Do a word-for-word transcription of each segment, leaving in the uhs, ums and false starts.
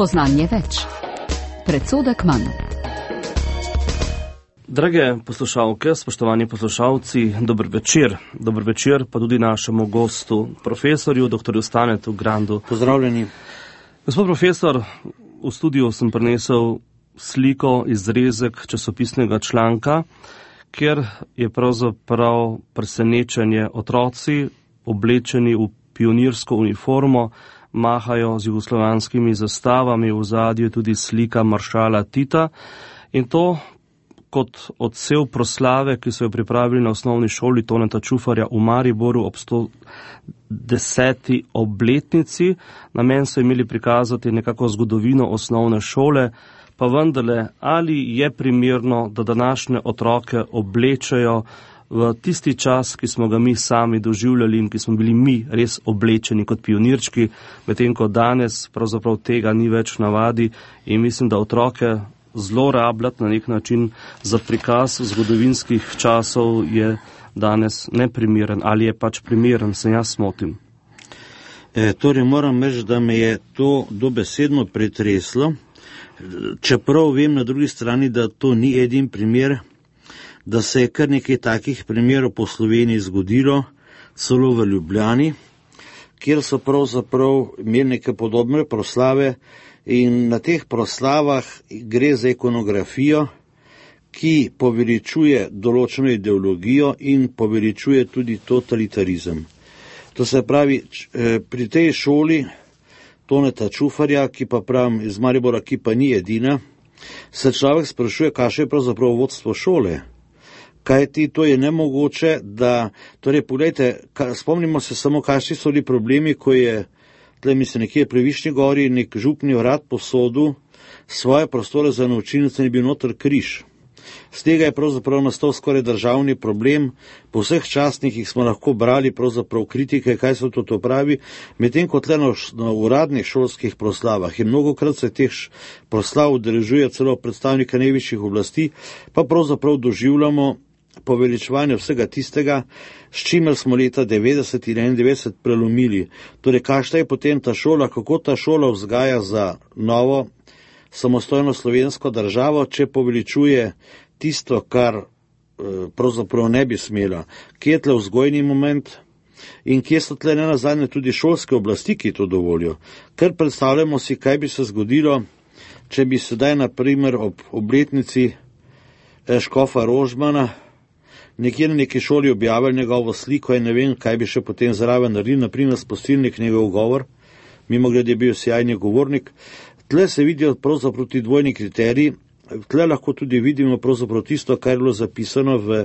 Spoznanje več. Predsodek manj. Drage poslušalke, spoštovani poslušalci, dober večer. Dober večer pa tudi našemu gostu, profesorju, doktorju Stanetu Grandu. Pozdravljeni. Gospod profesor, v studiu sem prinesel sliko, izrezek časopisnega članka, kjer je pravzaprav presenečenje otroci, oblečeni v pionirsko uniformo, mahajo z jugoslovanskimi zastavami, v ozadju tudi slika maršala Tita, in to kot odsev proslave, ki so jo pripravili na osnovni šoli Toneta Čufarja v Mariboru ob sto deseti obletnici. Namen so imeli prikazati nekako zgodovino osnovne šole, pa vendarle, ali je primerno, da današnje otroke oblečejo v tisti čas, ki smo ga mi sami doživljali in ki smo bili mi res oblečeni kot pionirčki, medtem ko danes pravzaprav tega ni več navadi, in mislim, da otroke zlorabljati na nek način za prikaz zgodovinskih časov je danes neprimeren, ali je pač primeren, se jaz smotim. E, torej moram reči, da me je to dobesedno pretreslo, čeprav vem na drugi strani, da to ni edin primer, da se je kar nekaj takih primerov po Sloveniji zgodilo, celo v Ljubljani, kjer so pravzaprav imeli neke podobne proslave, in na teh proslavah gre za ikonografijo, ki poveličuje določeno ideologijo in poveličuje tudi totalitarizem. To se pravi, pri tej šoli Toneta Čufarja, ki pa pravim iz Maribora, ki pa ni edina, se človek sprašuje, kakšno je pravzaprav vodstvo šole. Kaj ti, to je nemogoče, da, torej, pogledajte, spomnimo se samo, kakšni so bili problemi, ko je tle mislim, nekje pri Višnji gori nek župni urad posodil svoje prostore za naučilnice in je bil noter križ. Z tega je pravzaprav nastal skoraj državni problem, po vseh častnikih smo lahko brali pravzaprav kritike, kaj se to, to pravi, medtem kot le na, na uradnih šolskih proslavah in mnogokrat se teh proslav udeležuje celo predstavnika najvišjih oblasti, pa pravzaprav doživljamo poveličevanje vsega tistega, s čimer smo leta devetdeset in enaindevetdeset prelomili. Torej, kakšna je potem ta šola, kako ta šola vzgaja za novo samostojno slovensko državo, če poveličuje tisto, kar eh, pravzaprav ne bi smela. Kje je tle vzgojni moment in kje so tle nenazadnje tudi šolske oblasti, ki to dovolijo. Ker predstavljamo si, kaj bi se zgodilo, če bi sedaj, na primer, ob obletnici eh, škofa Rožmana nekje na neki šoli objavili njegovo sliko in ne vem, kaj bi še potem zraven naredili, naprimer spustilnik njegov govor, mimo glede je bil sjajni govornik. Tle se vidijo pravzaprav ti dvojni kriteriji, tle lahko tudi vidimo pravzaprav tisto, kar je bilo zapisano v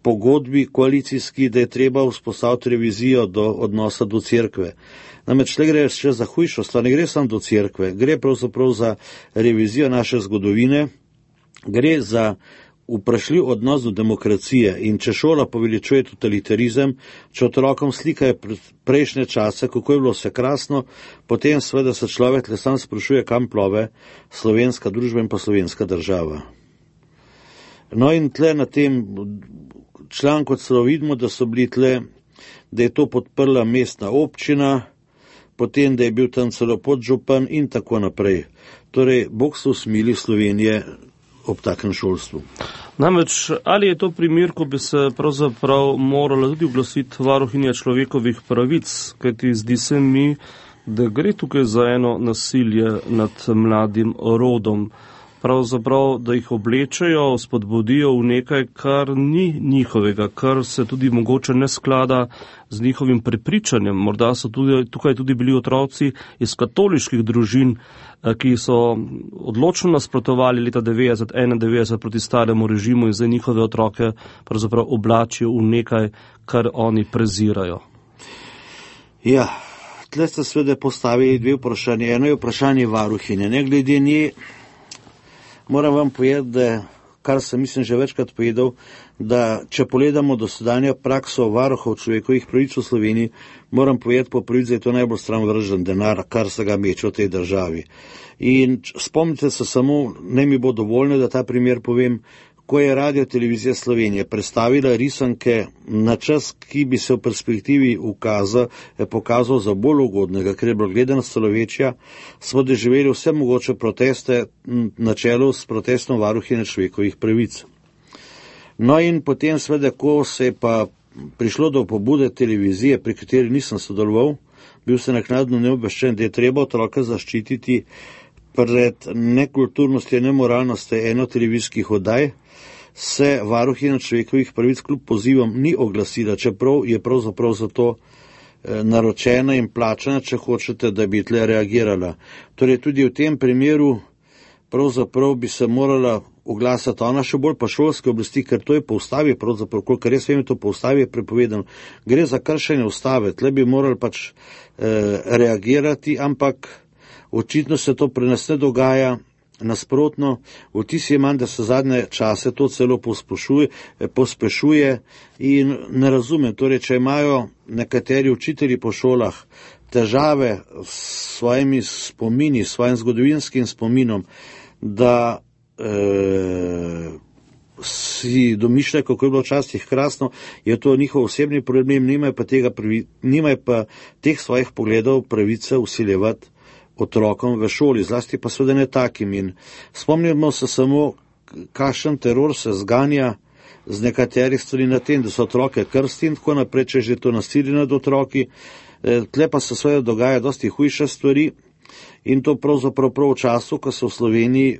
pogodbi koalicijski, da je treba vzpostaviti revizijo do odnosa do cerkve. Namreč tle gre še za hujšo stvar, ne gre samo do cerkve, gre pravzaprav za revizijo naše zgodovine, gre za vprašljiv odnos do demokracije, in če šola poveličuje totalitarizem, če otrokom slikajo prejšnje čase, kako je bilo vse krasno, potem seveda se človek le sam sprašuje, kam plove slovenska družba in pa slovenska država. No in tle na tem članku celo vidimo, da so bili tle, da je to podprla mestna občina, potem da je bil tam celo podžupan in tako naprej. Torej, Bog se usmili Slovenije ob takem šolstvu. Namreč, ali je to primer, ko bi se pravzaprav morala tudi oglasiti varuhinja človekovih pravic, kajti zdi se mi, da gre tukaj za eno nasilje nad mladim rodom. Pravzaprav, da jih oblečejo, spodbudijo v nekaj, kar ni njihovega, kar se tudi mogoče ne sklada z njihovim prepričanjem. Morda so tudi, tukaj tudi bili otroci iz katoliških družin, ki so odločno nasprotovali leta devetdeset enaindevetdeset proti staremu režimu in zdaj njihove otroke pravzaprav oblačijo v nekaj, kar oni prezirajo. Ja, tle ste seveda postavili dve vprašanje. Eno je vprašanje varuhinje. Ne glede nje, moram vam povedati, da, kar sem mislim že večkrat povedal, da če pogledamo dosedanjo prakso varuhov človekovih pravic v Sloveniji, moram povedati po pravici, da je to najbolj stran denar, kar se ga meče v tej državi. In spomnite se samo, ne mi bo dovoljno, da ta primer povem, ko je Radio Televizija Slovenije predstavila risanke na čas, ki bi se v perspektivi ukazal, pokazal za bolj ugodnega, ker je bilo gledanost celo večja, smo doživeli vse mogoče proteste na čelu s protestom varuhinje človekovih pravic. No in potem seveda, ko se je pa prišlo do pobude televizije, pri kateri nisem sodeloval, bil sem naknadno neobveščen, da je treba otroka zaščititi pred nekulturnostjo in nemoralnostjo eno televizijskih oddaj, se varuhinja človekovih pravic kljub pozivom ni oglasila, čeprav je pravzaprav za to naročena in plačana, če hočete, da bi tle reagirala. Torej tudi v tem primeru pravzaprav bi se morala oglasiti ona, še bolj pa šolske oblasti, ker to je po ustavi, pravzaprav, kolikor res vem, to po ustavi je prepovedano. Gre za kršenje ustave, tle bi morali pač eh, reagirati, ampak očitno se to pri nas ne dogaja, nasprotno, vtis je manj, da se zadnje čase to celo pospešuje, pospešuje in ne razumem, torej, če imajo nekateri učitelji po šolah težave s svojimi spomini, s svojim zgodovinskim spominom, da e, si domišljajo, kako je bilo včasih krasno, je to njihov osebni problem, nimajo pa, tega, nimajo pa teh svojih pogledov pravice vsiljevati otrokom v šoli, zlasti pa seveda ne takim. In spomnimo se samo, kakšen teror se zganja z nekaterih stvari na tem, da so otroke krsti in tako naprej, če že to nasilje nad otroki. Tle pa se seveda dogaja dosti hujše stvari in to pravzaprav prav v času, ko se v Sloveniji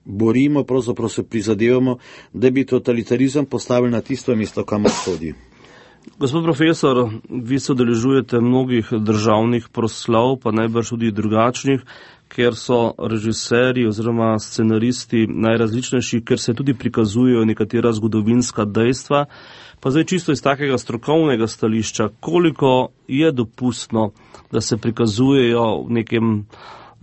borimo, pravzaprav se prizadevamo, da bi totalitarizem postavili na tisto mesto, kamor sodi. Gospod profesor, vi se udeležujete mnogih državnih proslav, pa najbrž tudi drugačnih, ker so režiserji oziroma scenaristi najrazličnejši, ker se tudi prikazujejo nekatera zgodovinska dejstva. Pa zdaj čisto iz takega strokovnega stališča, koliko je dopustno, da se prikazujejo v nekem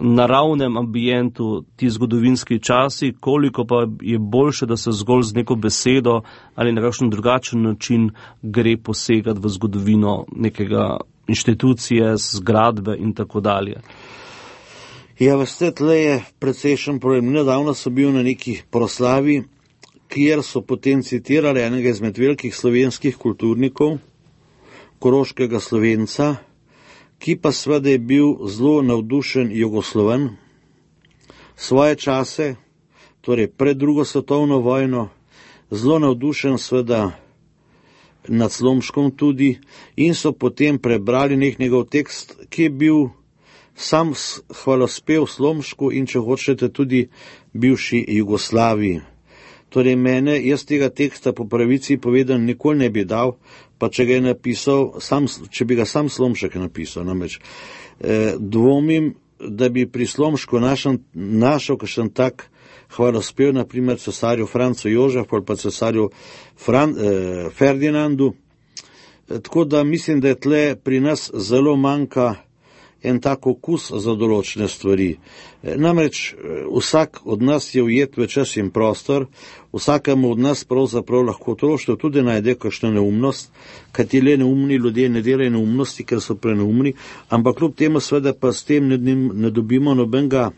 naravnem ambientu ti zgodovinski časi, koliko pa je boljše, da se zgolj z neko besedo ali na kakšen drugačen način gre posegati v zgodovino nekega inštitucije, zgradbe in tako dalje. Ja, veste, tle je precejšen problem. Nedavno so bil na neki proslavi, kjer so potem citirali enega izmed velikih slovenskih kulturnikov, koroškega Slovenca, ki pa seveda je bil zelo navdušen Jugosloven, svoje čase, torej pred drugo svetovno vojno, zelo navdušen seveda nad Slomškom tudi, in so potem prebrali nek njegov tekst, ki je bil sam hvalospev Slomšku in, če hočete, tudi bivši Jugoslaviji. Torej mene, jaz tega teksta po pravici povedan nikoli ne bi dal, pa če ga je napisal, sam, če bi ga sam Slomšek napisal, namreč eh, dvomim, da bi pri Slomšku našel, našel kakšen tak hvalospev, naprimer cesarju Francu Jožefu ali pa cesarju Fran, eh, Ferdinandu. E, tako da mislim, da je tle pri nas zelo manjka en tak okus za določene stvari. Namreč vsak od nas je ujet v čas in prostor, vsakemu od nas pravzaprav lahko otroštvo tudi najde kakšno neumnost, kajti le neumni ljudje ne delajo neumnosti, ker so preneumni, ampak kljub temu seveda pa s tem ne, ne dobimo nobenega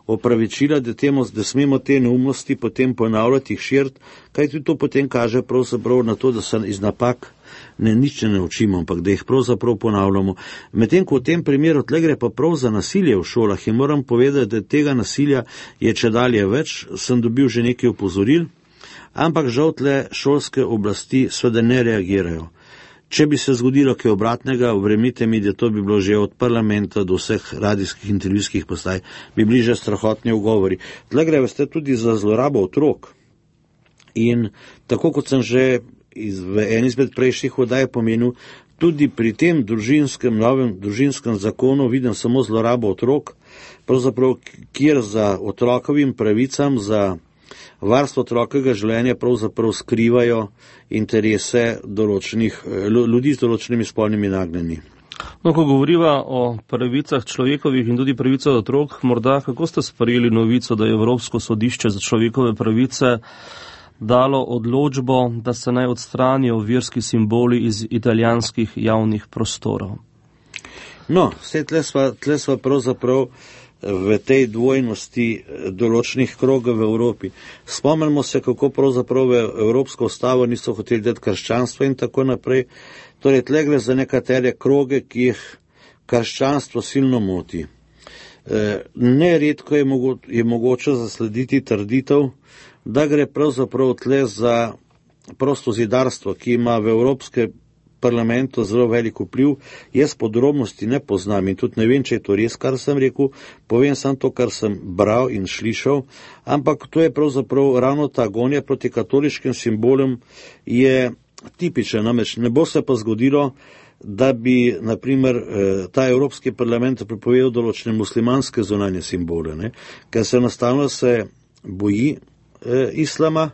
opravičila, da, temu, da smemo te neumnosti potem ponavljati, jih širiti, kajti to potem kaže pravzaprav na to, da se iz napak ne nič ne učimo, ampak da jih pravzaprav ponavljamo. Medtem ko v tem primeru tle gre pa prav za nasilje v šolah in moram povedati, da tega nasilja je čedalje več, sem dobil že nekaj opozoril, ampak žal tle šolske oblasti seveda ne reagirajo. Če bi se zgodilo kaj obratnega, verjemite mi, da to bi bilo že od parlamenta do vseh radijskih intervjujskih postaj, bi bili že strahotni ugovori. Tle gre veste tudi za zlorabo otrok. In tako kot sem že iz, v en izmed prejšnjih oddaj pomenil, tudi pri tem družinskem, novem družinskem zakonu vidim samo zlorabo otrok, pravzaprav kjer za otrokovim pravicam, za varstvo otrokovega življenja pravzaprav skrivajo interese določenih, ljudi z določenimi spolnimi nagnjenji. No, ko govoriva o pravicah človekovih in tudi pravicah otrok, morda kako ste sprejeli novico, da je Evropsko sodišče za človekove pravice dalo odločbo, da se naj odstranijo verski simboli iz italijanskih javnih prostorov? No, vse tle sva, tle sva pravzaprav v tej dvojnosti določenih krogov v Evropi. Spomnimo se, kako pravzaprav v Evropsko ustavo niso hoteli dati krščanstva in tako naprej. Torej, tle gre za nekatere kroge, ki jih krščanstvo silno moti. Neredko je, mogo, je mogoče zaslediti trditev, da gre pravzaprav tle za prosto zidarstvo, ki ima v Evropske parlamentu zelo velik vpliv. Jaz podrobnosti ne poznam in tudi ne vem, če je to res, kar sem rekel, povem samo to, kar sem bral in slišal, ampak to je pravzaprav ravno ta gonja proti katoliškim simbolom je tipična, namreč ne bo se pa zgodilo, da bi, naprimer, ta Evropski parlament prepovedal določene muslimanske zunanje simbole, ne? Ker se enostavno se boji eh, islama,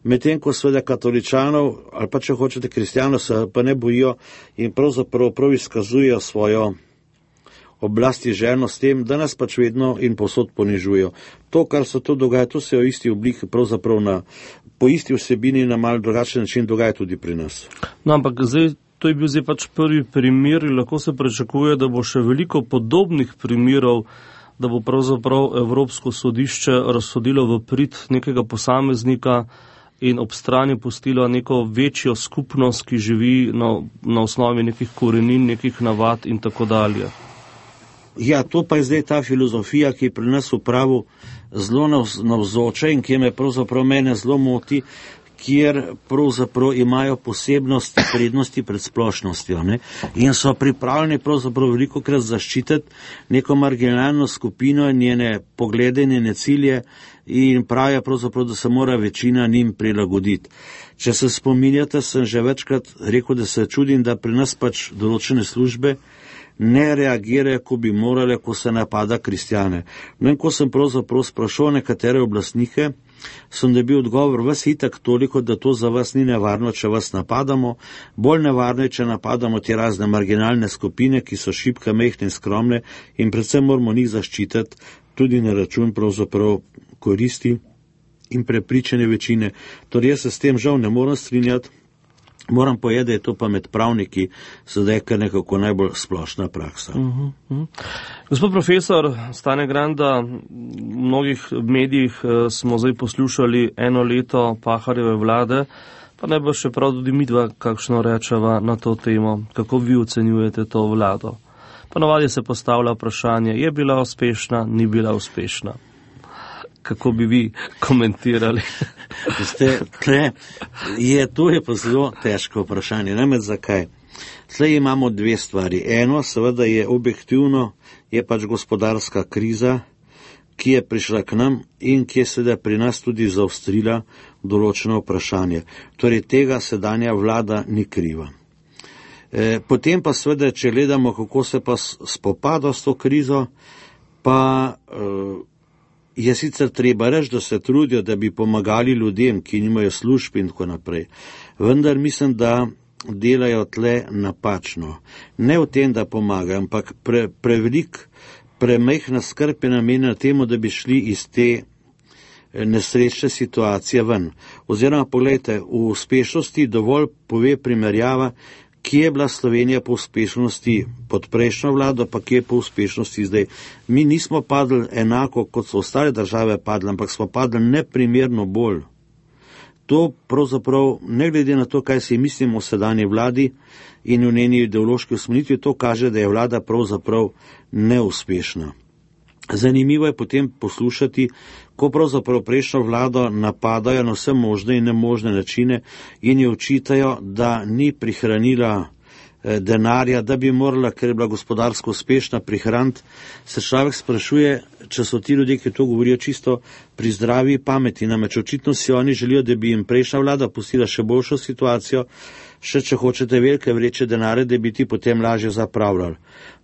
medtem ko seveda katoličanov, ali pa če hočete kristijanov, se pa ne bojijo in pravzaprav prav izkazujejo svojo oblasti želno s tem, da nas pač vedno in posod ponižujejo. To, kar se to dogaja, to se v isti obliki, pravzaprav na, po isti vsebini na malo drugačen način dogaja tudi pri nas. No, ampak zdaj, to je bil zdaj pač prvi primer in lahko se pričakuje, da bo še veliko podobnih primerov, da bo pravzaprav Evropsko sodišče razsodilo v prid nekega posameznika in ob strani pustilo neko večjo skupnost, ki živi na, na osnovi nekih korenin, nekih navad in tako dalje. Ja, to pa je zdaj ta filozofija, ki pri nas v pravu zelo navzoča in ki me pravzaprav mene zelo moti, kjer pravzaprav imajo posebnosti, prednosti pred splošnostjo, ne? In so pripravljeni pravzaprav veliko krat zaščititi neko marginalno skupino in njene poglede, njene cilje in pravijo pravzaprav, da se mora večina njim prilagoditi. Če se spominjate, sem že večkrat rekel, da se čudim, da pri nas pač določene službe ne reagirajo, ko bi morale, ko se napada kristjane. No in ko sem pravzaprav sprašal nekatere oblastnike, sem dobil odgovor, vas itak toliko, da to za vas ni nevarno, če vas napadamo, bolj nevarno je, če napadamo te razne marginalne skupine, ki so šibke, mehne in skromne in predvsem moramo njih zaščititi tudi na račun pravzaprav koristi in prepričane večine. Torej jaz se s tem žal ne moram strinjati, moram povedati, da je to pa med pravniki sedaj kar nekako najbolj splošna praksa. Uh-huh, uh-huh. Gospod profesor Stane Granda, v mnogih medijih smo zdaj poslušali eno leto Pahorjeve vlade, pa ne bo še prav tudi midva kakšno rečeva na to temo. Kako vi ocenjujete to vlado? Ponavadi se postavlja vprašanje, je bila uspešna, ni bila uspešna. Kako bi vi komentirali? Ste, tle, je, to je pa zelo težko vprašanje. Ne med zakaj. Tle imamo dve stvari. Eno, seveda je objektivno, je pač gospodarska kriza, ki je prišla k nam in ki je seveda pri nas tudi zaostrila določeno vprašanje. Torej tega sedanja vlada ni kriva. E, potem pa seveda, če gledamo, kako se pa spopada s to krizo, pa e, je sicer treba reči, da se trudijo, da bi pomagali ljudem, ki nimajo služb in tako naprej. Vendar mislim, da delajo tle napačno. Ne v tem, da pomagajo, ampak pre, prevelik, premehna skrb je namenjena temu, da bi šli iz te nesrečne situacije ven. Oziroma, pogledajte, v uspešnosti dovolj pove primerjava, kje je bila Slovenija po uspešnosti pod prejšnjo vlado, pa kje je po uspešnosti zdaj. Mi nismo padli enako, kot so ostale države padli, ampak smo padli neprimerno bolj. To pravzaprav, ne glede na to, kaj si mislimo o sedanji vladi in v njeni ideološki usmeritvi, to kaže, da je vlada pravzaprav neuspešna. Zanimivo je potem poslušati, ko pravzaprav prejšnjo vlado napadajo na vse možne in nemožne načine in jo očitajo, da ni prihranila eh, denarja, da bi morala, ker je bila gospodarsko uspešna, prihraniti. Se človek sprašuje, če so ti ljudje, ki to govorijo, čisto pri zdravi pameti. Namreč očitno si oni želijo, da bi jim prejšnja vlada pustila še boljšo situacijo, še če hočete velike vreče denarja, da bi ti potem lažje zapravljali.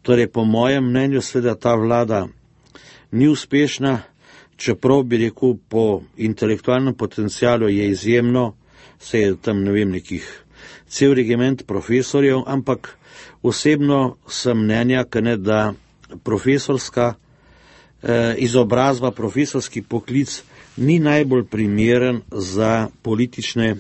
Torej, po mojem mnenju, seveda ta vlada ni uspešna, čeprav bi rekel, po intelektualnem potencialu je izjemno, se je tam, ne vem, nekih cel regiment profesorjev, ampak osebno sem mnenja, ne, da profesorska eh, izobrazba, profesorski poklic ni najbolj primeren za politične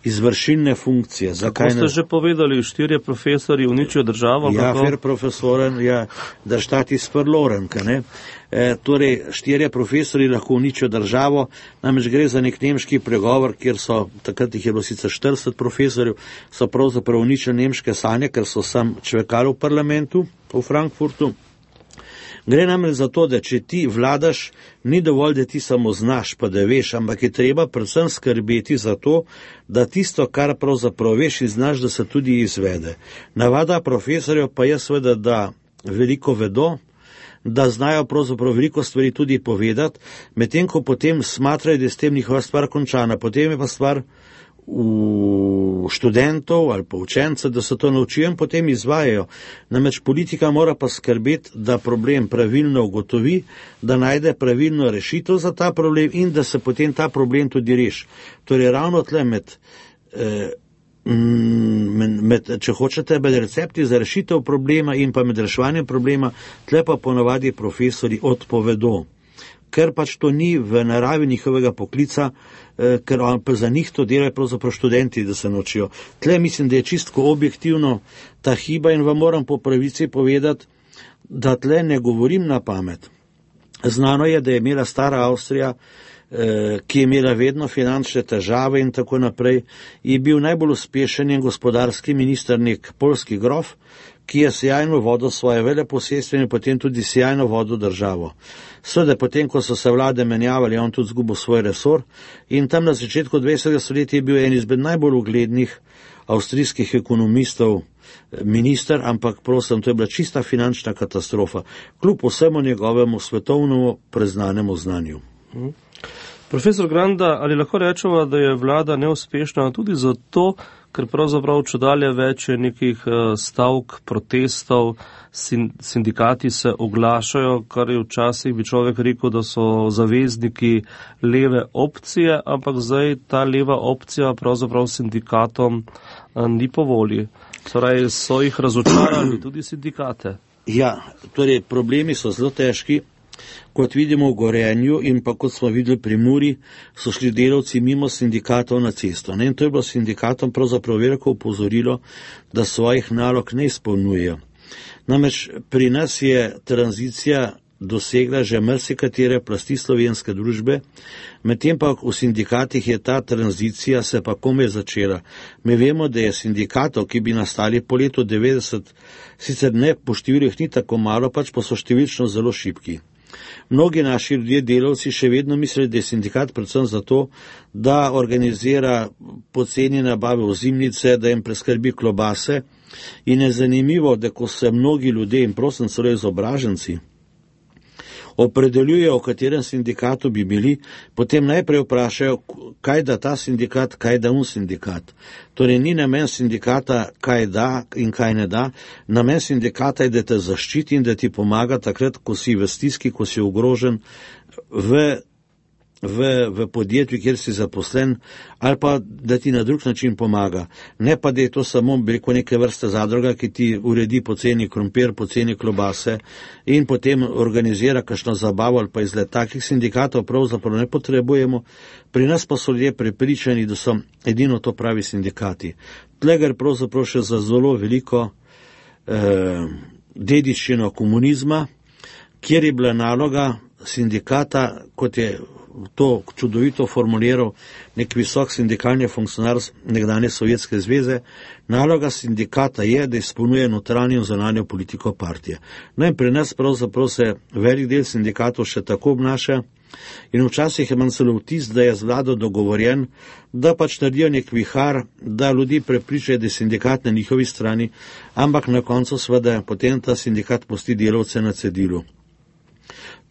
izvršilne funkcije. Kako ste ne... že povedali, štirje profesori uničijo državo? Ja, kako? Fer profesoren, ja, da štati sprloren, ne? E, torej, štirje profesori lahko uničijo državo, namreč gre za nek nemški pregovor, kjer so, takrat jih je bilo sicer štirideset profesorjev, so pravzaprav uničili nemške sanje, ker so sam čvekali v parlamentu v Frankfurtu. Gre namreč za to, da če ti vladaš, ni dovolj, da ti samo znaš, pa da veš, ampak je treba predvsem skrbeti za to, da tisto, kar pravzaprav veš in znaš, da se tudi izvede. Navada profesorjev pa je seveda, da veliko vedo, da znajo pravzaprav veliko stvari tudi povedati, medtem ko potem smatrajo, da je s tem njihova stvar končana. Potem je pa stvar v študentov ali pa učencev, da se to naučijo in potem izvajajo. Namreč politika mora pa skrbeti, da problem pravilno ugotovi, da najde pravilno rešitev za ta problem in da se potem ta problem tudi reši. Torej ravno tle med, med, med, če hočete, med recepti za rešitev problema in pa med reševanjem problema, tle pa ponavadi profesori odpovedo. Ker pač to ni v naravi njihovega poklica, eh, ker pa za njih to delajo pravzaprav študenti, da se naučijo. Tle mislim, da je čistko objektivno ta hiba in vam moram po pravici povedati, da tle ne govorim na pamet. Znano je, da je imela stara Avstrija, eh, ki je imela vedno finančne težave in tako naprej, je bil najbolj uspešen in gospodarski minister nek polski grof, ki je sjajno vodil svoje veleposestvo in potem tudi sjajno vodil državo. Seveda, potem, ko so se vlade menjavali, je on tudi zgubil svoj resor in tam na začetku dvajsetega stoletja je bil en izmed najbolj uglednih avstrijskih ekonomistov minister, ampak prosim, to je bila čista finančna katastrofa, kljub vsemu njegovemu svetovnemu preznanemu znanju. Hmm. Profesor Granda, ali lahko rečemo, da je vlada neuspešna tudi zato, ker pravzaprav čudalje več je nekih stavk, protestov, sindikati se oglašajo, kar je včasih bi človek rekel, da so zavezniki leve opcije, ampak zdaj ta leva opcija pravzaprav sindikatom ni po volji. Torej so jih razočarali tudi sindikate. Ja, torej problemi so zelo težki. Kot vidimo v Gorenju in pa kot smo videli pri Muri, so šli delavci mimo sindikatov na cesto. Ne? In to je bilo sindikatom pravzaprav veliko upozorilo, da svojih nalog ne izpolnjujejo. Namreč pri nas je tranzicija dosegla že marsikatere plasti slovenske družbe, medtem pa v sindikatih je ta tranzicija se pa komaj začela. Mi vemo, da je sindikatov, ki bi nastali po letu devetdeset, sicer ne po številih ni tako malo, pač pa so številčno zelo šibki. Mnogi naši ljudje, delavci, še vedno mislijo, da je sindikat predvsem zato, da organizira poceni nabave ozimnice, da jim preskrbi klobase in je zanimivo, da ko se mnogi ljudje, in prosim celo izobraženci, opredeljujejo, v katerem sindikatu bi bili, potem najprej vprašajo, kaj da ta sindikat, kaj da un sindikat. Torej ni namen sindikata, kaj da in kaj ne da, namen sindikata je, da te zaščiti in da ti pomaga takrat, ko si v stiski, ko si ogrožen v V, v podjetju, kjer si zaposlen, ali pa da ti na drug način pomaga. Ne pa, da je to samo preko neke vrste zadruga, ki ti uredi poceni krompir, poceni klobase in potem organizira kakšno zabavo ali pa izlet. Takih sindikatov pravzaprav ne potrebujemo. Pri nas pa so ljudje prepričani, da so edino to pravi sindikati. Tle gre pravzaprav še za zelo veliko eh, dediščino komunizma, kjer je bila naloga sindikata, kot je to čudovito formuliral nek visok sindikalni funkcionar nekdanje Sovjetske zveze, naloga sindikata je, da izpolnjuje notranjo in zunanjo politiko partije. No in pri nas pravzaprav se velik del sindikatov še tako obnaša in včasih imam celo vtis, da je z vlado dogovorjen, da pač naredijo nek vihar, da ljudi prepričajo, da je sindikat na njihovi strani, ampak na koncu seveda potem ta sindikat pusti delavce na cedilu.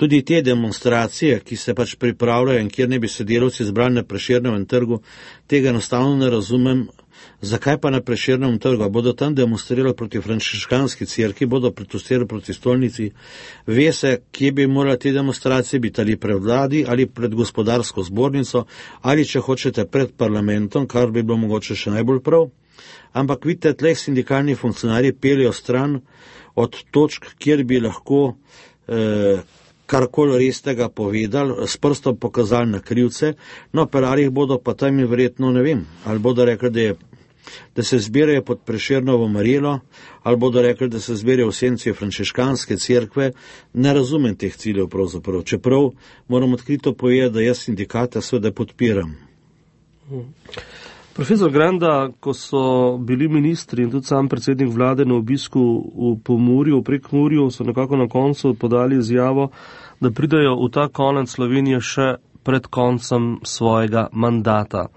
Tudi te demonstracije, ki se pač pripravljajo in kjer ne bi se delavci zbrali na Prešernovem trgu, tega enostavno ne razumem. Zakaj pa na Prešernovem trgu? Bodo tam demonstrirali proti frančiškanski cerkvi, bodo protestirali proti stolnici? Ve se, kje bi morali te demonstracije biti, ali pred vladi, ali pred gospodarsko zbornico, ali če hočete pred parlamentom, kar bi bilo mogoče še najbolj prav. Ampak vidite, tleh sindikalni funkcionarji peljejo stran od točk, kjer bi lahko eh, karkoli res tega povedali, s prstom pokazali na krivce, no, perarjih bodo pa tam in verjetno, ne vem, ali bodo rekli, da je da se zbirajo pod Prešernovo marelo, ali bodo rekli, da se zbirajo v senci frančiškanske cerkve. Ne razumem teh ciljev pravzaprav. Čeprav moram odkrito povedati, da jaz sindikata seveda podpiram. Profesor Granda, ko so bili ministri in tudi sam predsednik vlade na obisku v Pomurju, v Prekmurju, so nekako na koncu podali izjavo, da pridajo v ta konec Slovenije še pred koncem svojega mandata.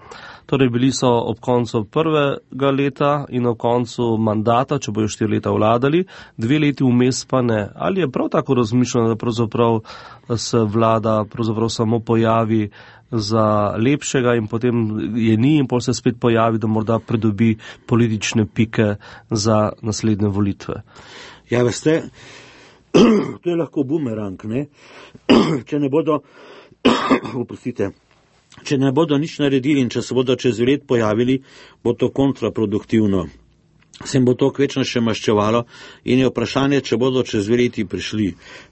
Torej bili so ob koncu prvega leta in ob koncu mandata, če bojo štiri leta vladali, dve leti vmes pa ne. Ali je prav tako razmišljeno, da pravzaprav se vlada pravzaprav samo pojavi za lepšega in potem je ni in potem se spet pojavi, da morda pridobi politične pike za naslednje volitve? Ja, veste, to je lahko bumerang, ne? Če ne bodo, oprostite, Če ne bodo nič naredili in če se bodo čez let pojavili, bo to kontraproduktivno. Se jim bo to kvečno še maščevalo in je vprašanje, če bodo čez leti prišli.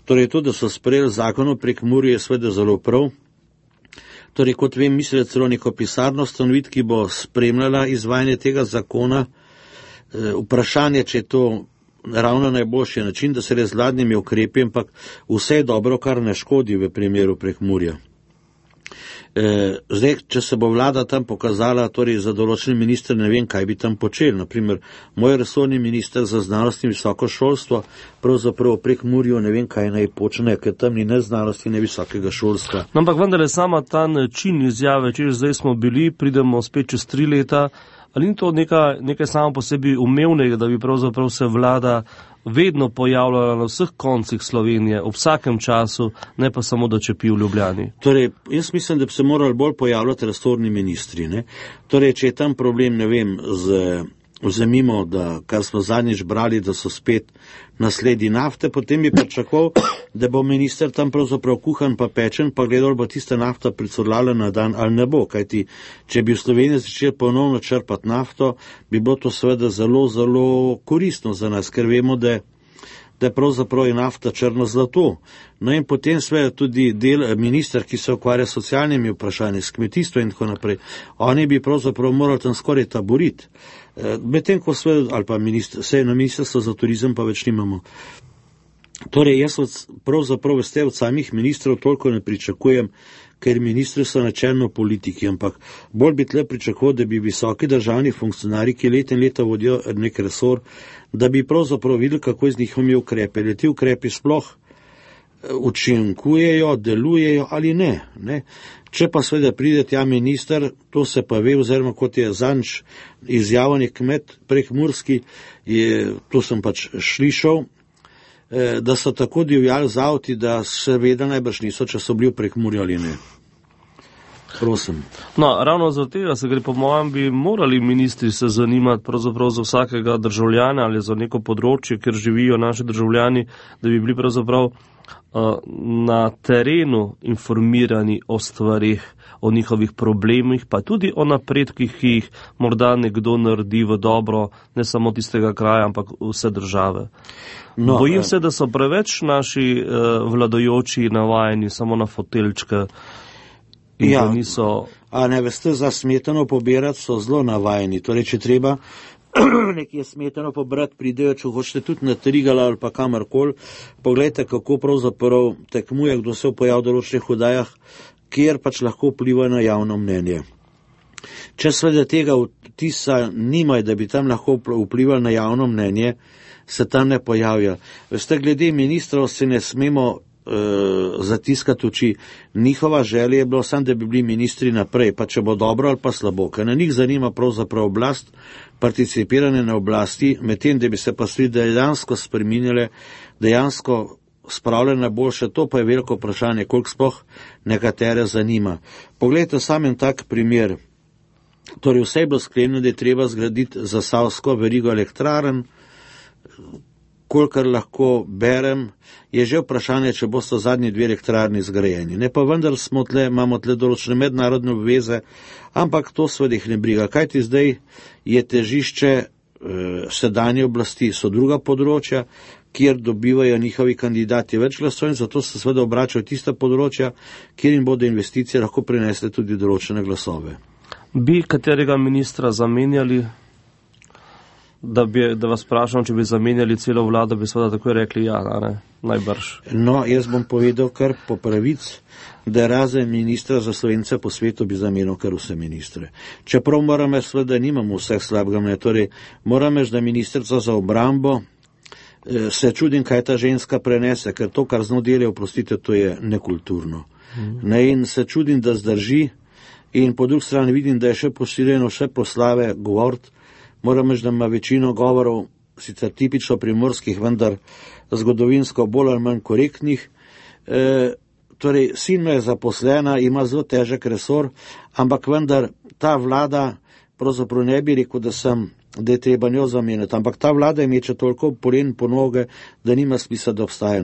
Torej, to, da so sprejeli zakon o Prekmurju, je sveda zelo prav. Torej, kot vem, mislijo celo neko pisarno stanovit, ki bo spremljala izvajanje tega zakona. E, vprašanje, če je to ravno najboljši način, da se res z vladnimi ukrepi, ampak vse je dobro, kar ne škodi v primeru Prekmurja. E, zdaj, če se bo vlada tam pokazala, torej za določen minister, ne vem, kaj bi tam počeli. Naprimer, moj resorni minister za znanost in visoko šolstvo, pravzaprav v Prekmurju ne vem, kaj naj počne, ker tam ni ne znanosti, ne visokega šolstva. No, ampak vendar je sama ta način izjave, če zdaj smo bili, pridemo spet čez tri leta, ali ni to nekaj, nekaj samo po sebi umevnega, da bi pravzaprav se vlada vedno pojavljala na vseh koncih Slovenije, ob vsakem času, ne pa samo da čepi v Ljubljani? Torej, jaz mislim, da bi se morali bolj pojavljati resorni ministri, ne? Torej, če je tam problem, ne vem, z, vzemimo, da, kar smo zadnjič brali, da so spet nasledi nafte, potem bi pričakoval, da bo minister tam pravzaprav kuhan pa pečen, pa gledal bo tista nafta pricurlala na dan ali ne bo, kajti če bi v Sloveniji začeli ponovno črpati nafto, bi bilo to seveda zelo, zelo koristno za nas, ker vemo, da da je pravzaprav je nafta črno zlato. No in potem seveda tudi del minister, ki se ukvarja s socialnimi vprašanji, s kmetijstvom in tako naprej, oni bi pravzaprav morali tam skoraj taboriti. Medtem ko seveda, ali pa minister, sej na ministrstvo za turizem pa več nimamo. Torej, jaz od, pravzaprav veste od samih ministrov toliko ne pričakujem, ker ministri so načelno politiki, ampak bolj bi tle pričakoval, da bi visoki državni funkcionarji, ki leta in leta vodijo nek resor, da bi pravzaprav videli, kako z njihovimi ukrepe. Le ti ukrepi sploh učinkujejo, delujejo ali ne, ne. Če pa seveda pride tja minister, to se pa ve, oziroma kot je zanč izjavljen kmet prekmurski, je, to sem pač slišal, da so tako divjali z avti, da seveda najbrž niso, če so bili v Prekmurju ali ne. Prosim. No, ravno za tega se gre, po mojem, bi morali ministri se zanimati pravzaprav za vsakega državljana ali za neko področje, kjer živijo naši državljani, da bi bili pravzaprav uh, na terenu informirani o stvarih, o njihovih problemih, pa tudi o napredkih, ki jih morda nekdo naredi v dobro, ne samo tistega kraja, ampak vse države. No, Bojim eh. se, da so preveč naši uh, vladajoči navajeni samo na foteljčke in ja, da niso... A ne veste, za smetano pobirati so zelo navajeni. Torej, če treba nekje smetano pobrati, pridejo, če hočete tudi na Trigala ali pa kamarkoli. Poglejte, kako pravzaprav tekmuje, kdo se pojav v določenih oddajah, kjer pač lahko vpliva na javno mnenje. Če seveda tega vtisa nimajo, da bi tam lahko vplivali na javno mnenje, se tam ne pojavlja. Veste, glede ministrov se ne smemo uh, zatiskati oči. Njihova želja je bilo samo, da bi bili ministri naprej, pa če bo dobro ali pa slabo, ker na njih zanima pravzaprav oblast, participiranje na oblasti, medtem da bi se pa stvari dejansko spreminjale, dejansko spravljene na boljše, to pa je veliko vprašanje, koliko sploh nekatere zanima. Poglejte sam en tak primer. Torej vse je bilo sklenjeno, da je treba zgraditi zasavsko verigo elektrarn. Kolikor lahko berem, je že vprašanje, če bosta zadnji dve elektrarni zgrajeni. Ne pa vendar smo tle, imamo tle določene mednarodne obveze, ampak to seveda jih ne briga. Kajti zdaj je težišče eh, sedanje oblasti, so druga področja, kjer dobivajo njihovi kandidati več glasov in zato se seveda obračajo tista področja, kjer jim bodo investicije lahko prinesle tudi določene glasove. Bi katerega ministra zamenjali, da, bi, da vas vprašam, če bi zamenjali celo vlado, bi seveda takoj rekli ja, ne, najbrž. No, jaz bom povedal kar po pravic, da razen ministra za Slovence po svetu bi zamenil kar vse ministre. Čeprav moram jaz seveda nimamo vseh slabega mnenja, torej moram jaz, da ministrica za obrambo se čudim, kaj ta ženska prenese, ker to, kar z njo dela, oprostite, to je nekulturno. Mm. Ne, in se čudim, da zdrži in po drugi strani vidim, da je še posiljeno še proslave govoriti. Moram reči, da ima večino govorov, sicer tipično primorskih, vendar zgodovinsko bolj ali manj korektnih. E, torej, sin me je zaposlena, ima zelo težek resor, ampak vendar ta vlada, pravzaprav ne bi rekel, da sem da je treba njo zamenjati, ampak ta vlada imeče toliko polen po noge, da nima smisla, da obstaja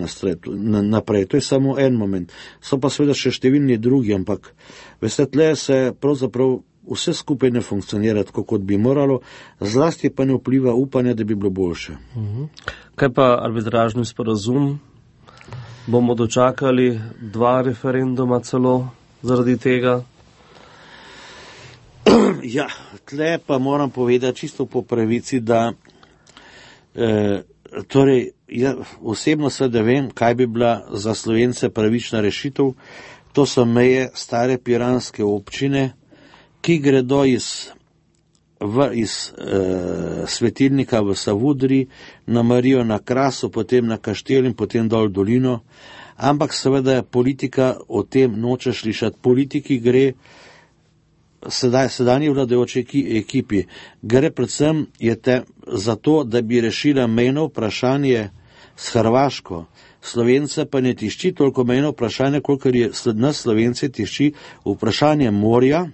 naprej. To je samo en moment. So pa seveda še številni drugi, ampak veste, tle se pravzaprav vse skupaj ne funkcionira tako, kot bi moralo, zlasti pa ne vpliva upanja, da bi bilo boljše. Mhm. Kaj pa arbitražni sporazum? Bomo dočakali dva referenduma celo zaradi tega? Ja, tle pa moram povedati čisto po pravici, da eh, torej, ja, osebno seveda vem, kaj bi bila za Slovence pravična rešitev. To so meje stare piranske občine, ki gredo iz, v, iz eh, svetilnika v Savudri, na Marijo na Krasu, potem na Kaštel in potem dol dolino. Ampak seveda politika o tem noče slišati. Politiki gre Sedaj, sedanji vladajoči ekipi gre predvsem je te za to, da bi rešila mejno vprašanje s Hrvaško. Slovence pa ne tišči toliko mejno vprašanje, kolikor je nas Slovence tišči vprašanje morja,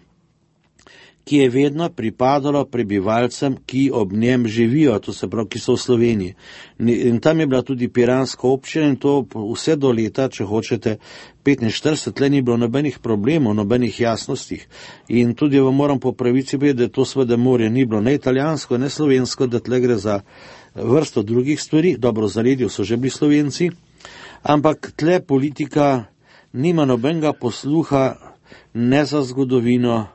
ki je vedno pripadalo prebivalcem, ki ob njem živijo, to se pravi, ki so v Sloveniji. In tam je bila tudi piranska občina in to vse do leta, če hočete, petinštirideset, tle ni bilo nobenih problemov, nobenih jasnostih. In tudi vam moram po pravici povedati, da to seveda morje ni bilo ne italijansko, ne slovensko, da tle gre za vrsto drugih stvari. Dobro, v zaledju so že bili Slovenci, ampak tle politika nima nobenega posluha ne za zgodovino,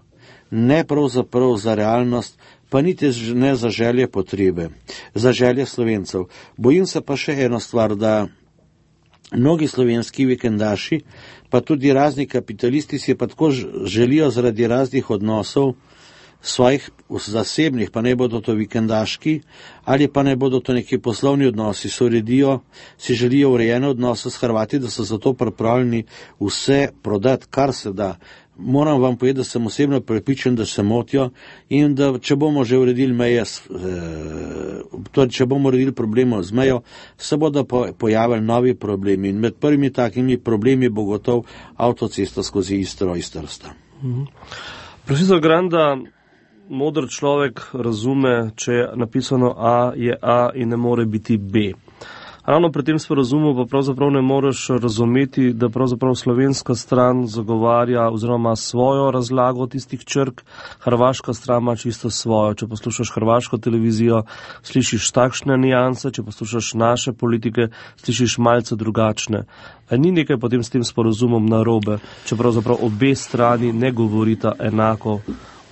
ne pravzaprav za realnost, pa niti ne za želje potrebe, za želje Slovencev. Bojim se pa še eno stvar, da mnogi slovenski vikendaši, pa tudi razni kapitalisti si pa tako želijo zaradi raznih odnosov svojih zasebnih, pa ne bodo to vikendaški, ali pa ne bodo to neki poslovni odnosi, se uredijo, si želijo urejene odnose s Hrvati, da so zato pripravljeni vse prodati, kar se da. Moram vam povedati, da sem osebno prepričan, da se motijo in da če bomo že uredili meje, torej če bomo uredili problemo z mejo, se bodo pojavili novi problemi in med prvimi takimi problemi bo gotov avtocesta skozi Istro iz Trsta. Mhm. Profesor Granda, modr človek razume, če je napisano A, je A in ne more biti B. Ravno pri tem sporazumu pa pravzaprav ne moreš razumeti, da pravzaprav slovenska stran zagovarja oziroma svojo razlago tistih črk, hrvaška stran ima čisto svojo. Če poslušaš hrvaško televizijo, slišiš takšne nijanse, če poslušaš naše politike, slišiš malce drugačne. A ni nekaj potem s tem sporazumom narobe, če pravzaprav obe strani ne govorita enako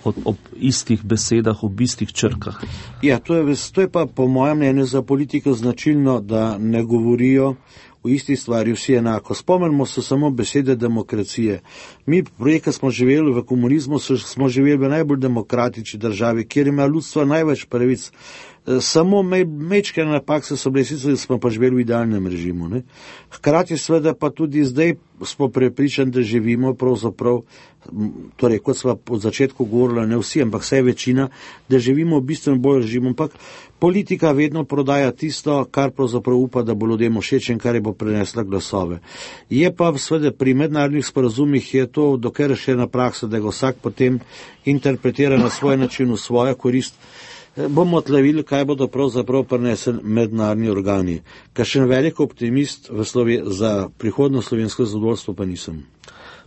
ob, ob istih besedah, ob istih črkah? Ja, to je, to je pa po mojem mnenju za politiko značilno, da ne govorijo v isti stvari vsi enako. Spomnimo se samo besede demokracije. Mi, prejka smo živeli v komunizmu, smo živeli v najbolj demokratični državi, kjer ima ljudstvo največ pravic. Samo mečke napake so bile, sicer smo pa živeli v idealnem režimu. Ne? Hkrati seveda pa tudi zdaj smo prepričani, da živimo pravzaprav, torej kot smo od začetku govorili, ne vsi, ampak vse večina, da živimo v bistveno bolj režimu, ampak politika vedno prodaja tisto, kar pravzaprav upa, da bo ljudem všeč in kar je bo prenesla glasove. Je pa seveda pri mednarodnih sporazumih je to dokler še ena praksa, da ga vsak potem interpretira na svoj način, v svojo korist. Bomo tlevili, kaj bodo pravzaprav prinesli mednarodni organi. Kakšen velik optimist v Slovi- za prihodno slovensko zadovoljstvo pa nisem.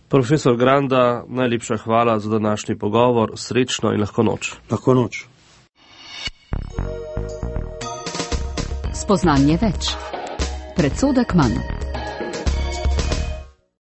Profesor Granda, najlepša hvala za današnji pogovor. Srečno in lahko noč. Lahko noč. Spoznanje več. Predsodek manj.